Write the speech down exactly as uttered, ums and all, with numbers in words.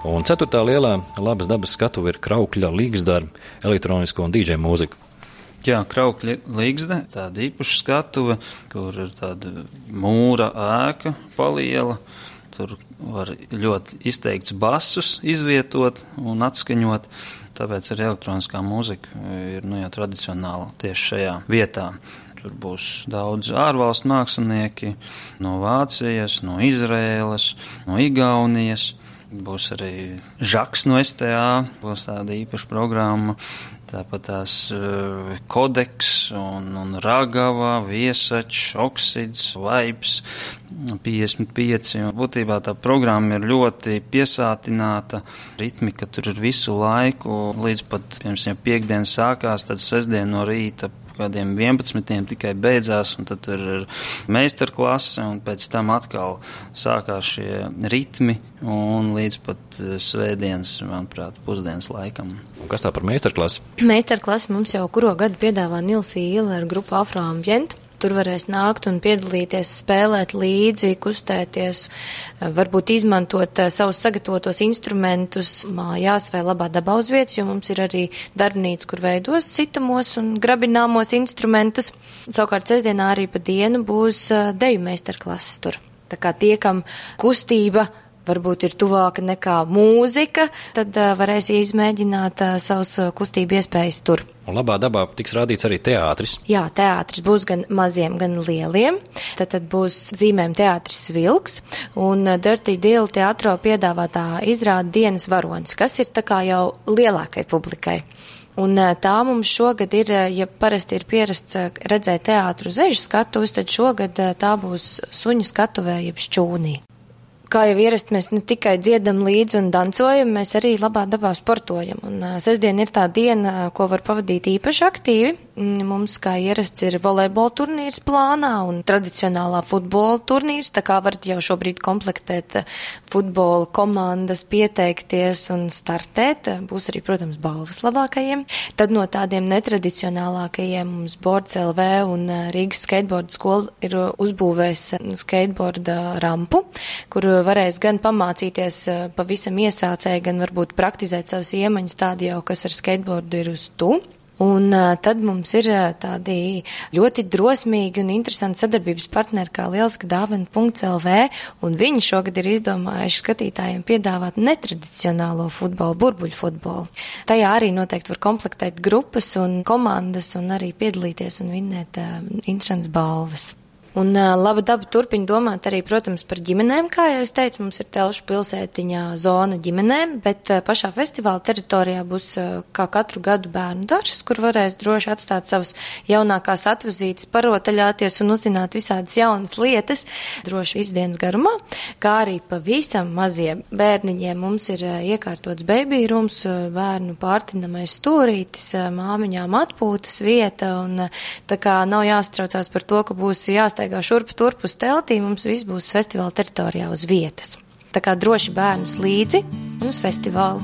Un ceturtā lielā labas dabas skatuve ir Kraukļa Līgsda ar elektronisko un dīdžeju mūziku. Jā, Kraukļa Līgsda, tāda īpaša skatuve, kur ir tāda mūra ēka paliela. Tur var ļoti izteikts basus izvietot un atskaņot, tāpēc arī elektroniskā mūzika ir nu, jau tradicionāla tieši šajā vietā. Tur būs daudz ārvalstu mākslinieki no Vācijas, no Izraēlas, no Igaunijas. Būs arī Žaks no S T A, būs tāda īpaša programma. Tāpat tās uh, Kodeks un, un Ragava, Viesačs, Oksids, Vibes, piecdesmit pieci. Būtībā tā programma ir ļoti piesātināta. Ritmika tur ir visu laiku, līdz pat, piemēram, piekdien sākās, tad sestdien no rīta kādiem vienpadsmitiem tikai beidzās, un tad tur ir meistarklase, un pēc tam atkal sākās šie ritmi, un līdz pat svētdienas, manuprāt, pusdienas laikam. Un kas tā par meistarklasi? Meistarklasi mums jau kuro gadu piedāvā Nilsī Ila ar grupu Afroambient. Tur varēs nākt un piedalīties, spēlēt līdzi, kustēties, varbūt izmantot savus sagatavotos instrumentus mājās vai labā dabā uz vietas, jo mums ir arī darbnīca, kur veidos sitamos un grabināmos instrumentus. Savukārt sestdienā arī pa dienu būs deju meistarklases tur. Tā kā tie, kam kustība varbūt ir tuvāka nekā mūzika, tad uh, varēs izmēģināt uh, savus uh, kustību iespējas tur. Un labā dabā tiks rādīts arī teātris. Jā, teātris būs gan maziem, gan lieliem. Tad, tad būs zīmēm teātris Vilks un uh, Dirty Deal teātro piedāvātā izrāda Dienas varonis, kas ir tā kā jau lielākai publikai. Un uh, tā mums šogad ir, uh, ja parasti ir pierasts uh, redzēt teātru uz ežu skatuves, tad šogad uh, tā būs suņa skatuvē jeb šķūnī. Kā jau ierasti, mēs ne tikai dziedam līdzi un dancojam, mēs arī labā dabā sportojam. Un uh, sestdien ir tā diena, ko var pavadīt īpaši aktīvi. Mums, kā ierasts, ir volejbola turnīrs plānā un tradicionālā futbola turnīrs, tā kā varat jau šobrīd komplektēt futbola komandas, pieteikties un startēt. Būs arī, protams, balvas labākajiem. Tad no tādiem netradicionālākajiem mums Boards L V un Rīgas skateboarda skola ir uzbūvēs skateboarda rampu, kur varēs gan pamācīties pavisam iesācēji, gan varbūt praktizēt savas iemaņas tādi jau, kas ar skateboardu ir uz tu. Un uh, tad mums ir uh, tādi ļoti drosmīgi un interesanti sadarbības partneri kā lieliska dāvana punkts L V, un viņi šogad ir izdomājuši skatītājiem piedāvāt netradicionālo futbolu, burbuļu futbolu. Tajā arī noteikti var komplektēt grupas un komandas un arī piedalīties un vinnēt uh, interesantas balvas. Un uh, laba daba turpina domāt arī, protams, par ģimenēm, kā jau es teicu, mums ir Telšu pilsētiņā zona ģimenēm, bet uh, pašā festivāla teritorijā būs uh, kā katru gadu bērnu darbs, kur varēs droši atstāt savas jaunākās atvazītes, parotaļāties un uzzināt visādas jaunas lietas, droši visu dienas garumā, kā arī pavisam maziem bērniņiem mums ir uh, iekārtots baby rooms, uh, bērnu pārtinamais stūrītis, uh, māmiņām atpūtas vieta, un uh, tā kā nav jāstraucās par to, ka būs jāstāv Staigā šurpu turpu uz teltī, mums viss būs festivāla teritorijā uz vietas. Tā kā droši bērnus līdzi un uz festivālu.